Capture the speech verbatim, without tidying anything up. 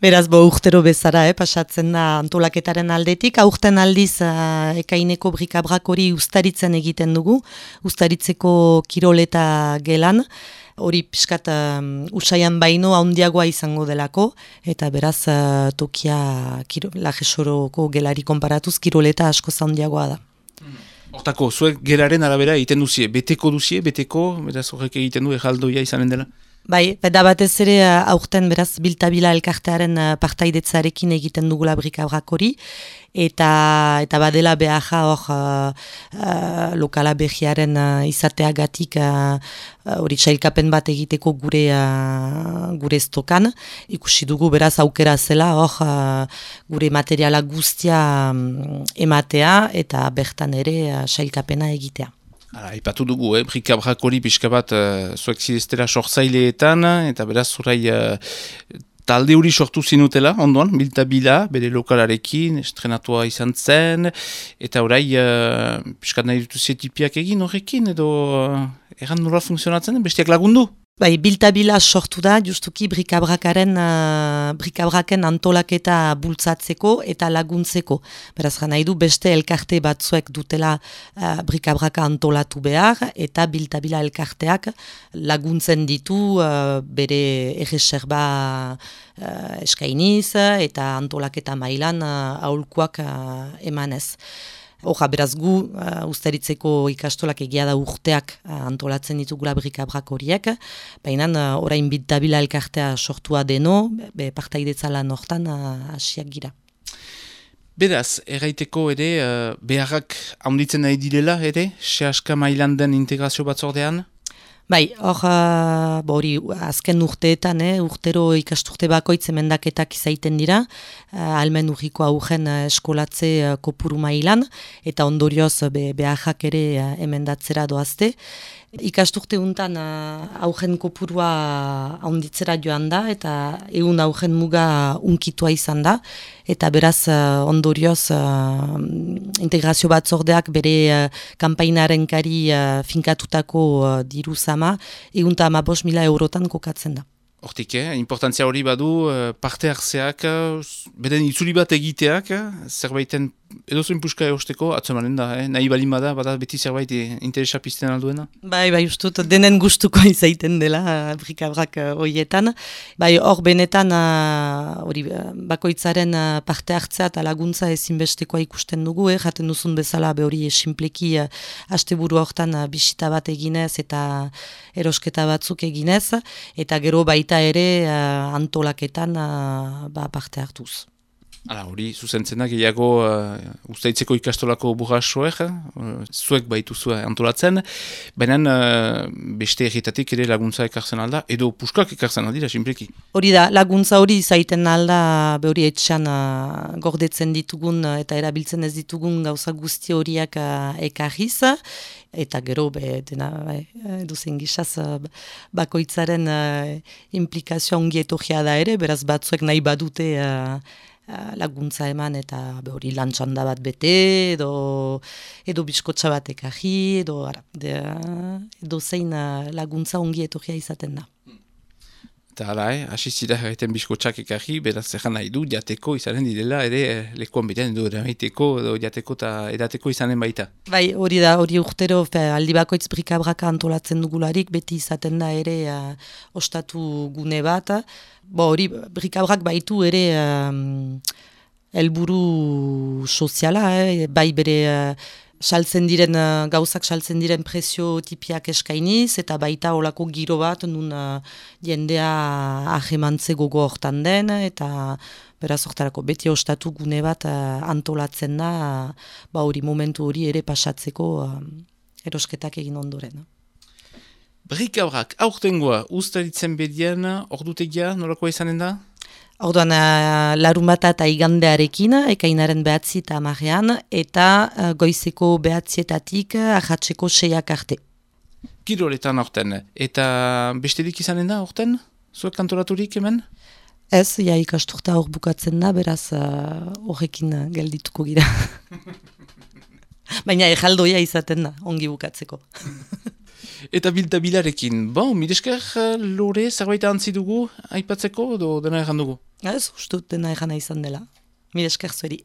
Beraz, bo, urtero bezara, eh, pasatzen da antolaketaren aldetik. Aurten aldiz, uh, ekaineko brikabrak hori ustaritzen egiten dugu, ustaritzeko kiroleta gelan, hori pixkat um, usaian baino handiagoa izango delako, eta beraz, uh, tokia kiro, lajesoroko gelari konparatuz, kiroleta asko handiagoa da. Hortako, zuek geraren arabera egiten duzie, beteko duzie, beteko, beraz horrek egiten du ejaldoia izanen dela? Bai, beda batez ere aurten beraz Biltabila elkartearen partaidetzarekin egiten dugula brikabrak hori, eta, eta badela beharra hor uh, uh, lokala behiaren uh, izateagatik hori uh, txailkapen bat egiteko gure, uh, gure estokan. Ikusi dugu beraz aukera zela hor uh, gure materiala guztia um, ematea eta bertan ere uh, txailkapena egitea. Aipatu dugu, eh? Brikabrak hori pixka bat uh, zuek zideztera sortzaileetan, eta beraz zurai uh, talde hori sortu zinutela, ondoan, Biltabila, bere lokalarekin, estrenatua izan zen, eta orai uh, pixka nahi dutu tipiak egin horrekin, edo uh, erran nola funtzionatzen, bestiak lagundu? Bai, Biltabila sortu da, justuki brikabrakaren, uh, brikabraken antolaketa bultzatzeko eta laguntzeko. Beraz, nahi du beste elkarte batzuek dutela uh, brikabraka antolatu behar, eta Biltabila elkarteak laguntzen ditu uh, bere erreserba uh, eskainiz eta antolaketa mailan uh, aholkuak uh, emanez. Hoja, beraz gu, uh, ustaritzeko ikastolak egia da urteak uh, antolatzen ditugula brikabrak horiek, baina uh, orain Biltabila elkartea sortua deno, be, partaidetza lan hortan hasiak uh, gira. Beraz, erraiteko ere, uh, beharrak handitzen nahi direla ere, sehaska mailan den integrazio batzordean? Bai, hor, uh, hori azken urteetan, eh, urtero ikasturte bakoitz emendaketak izaiten dira, uh, almen urriko aurren uh, eskolatze uh, kopuru mailan, eta ondorioz be, beharrak ere uh, emendatzera doazte. Ikasturte untan uh, aurren kopurua handitzera joan da, eta egun aurren muga unkitua izan da, eta beraz uh, ondorioz uh, integrazio batzordeak bere uh, kanpainaren kari uh, finkatutako uh, diru zama, egun eta amabos mila eurotan kokatzen da. Hortik, eh? Importantzia hori badu, parte hartzeak, beden itzuli bat egiteak, zerbaiten edozoin puska eosteko, atzemanen da, eh? Nahi balin bada, bada beti zerbait interesa pizten alduena? Bai, bai, ustut, denen gustuko izaiten dela, brikabrak horietan. Bai, hor benetan, hori, bakoitzaren parte hartzea eta laguntza ezinbestekoa ikusten dugu, eh? Jaten duzun bezala, be hori esinpleki asteburu hortan bisita bat eginez eta erosketa batzuk eginez, eta gero baita ere uh, antolaketan uh, ba, parte hartuz. Hala, hori, zuzentzen da, gehiago uh, ustaitzeko ikastolako burrasoek, uh, zuek baitu zua antolatzen, baina uh, beste erritatik ere laguntza ekartzen alda, edo puskak ekartzen aldira, simpleki. Hori da, laguntza hori izaiten alda, behori etxan uh, gordetzen ditugun uh, eta erabiltzen ez ditugun gauza guzti horiak uh, ekarriz, eta gero, be, dena, duzen gizaz, bakoitzaren uh, implikazioa ongi etorria da ere, beraz batzuek nahi badute uh, uh, laguntza eman, eta be, hori lantxanda bat bete, edo, edo biskotxa bat ekarri, edo, ara, de, uh, edo zein uh, laguntza ongi etorria izaten da. Eta hala, eh, asizira egiten biskotxak ekarri, beraz egan nahi du, jateko izanen direla, ere eh, lekuan bidean edo eraiteko, edo jateko eta edateko izanen baita. Bai, hori da, hori urtero, fe, aldi bakoitz brikabraka antolatzen dugularik, beti izaten da ere uh, ostatu gune bat. Bo, hori brikabrak baitu ere um, helburu soziala, eh, bai bere... Uh, saltzen diren, uh, gauzak saltzen diren prezio tipiak eskainiz, eta baita olako giro bat, nun uh, jendea ahemantze gogo hortan den, eta beraz hortarako beti ostatu gune bat uh, antolatzen da, uh, ba hori momentu hori ere pasatzeko uh, erosketak egin ondoren. Brikabrak, aurtengoa, ustaritzen bedian, ordutegia, nolakoa izanen da? Orduan, uh, larunbata eta igandearekin, ekainaren behatzi eta amarean, eta uh, goizeko behatzietatik uh, ahatzeko seiak arte. Kiroletan aurten, eta besterik izanen da aurten? Zuek kantoraturik hemen? Ez, ja ikasturta hor bukatzen da, beraz horrekin uh, geldituko gira. Baina ejaldoia izaten da, ongi bukatzeko. Eta biltabilarekin, bon, miresker lore zerbait antzi dugu aipatzeko, edo dena erran dugu? Ez, ustut dena egana izan dela. Mire esker zueri.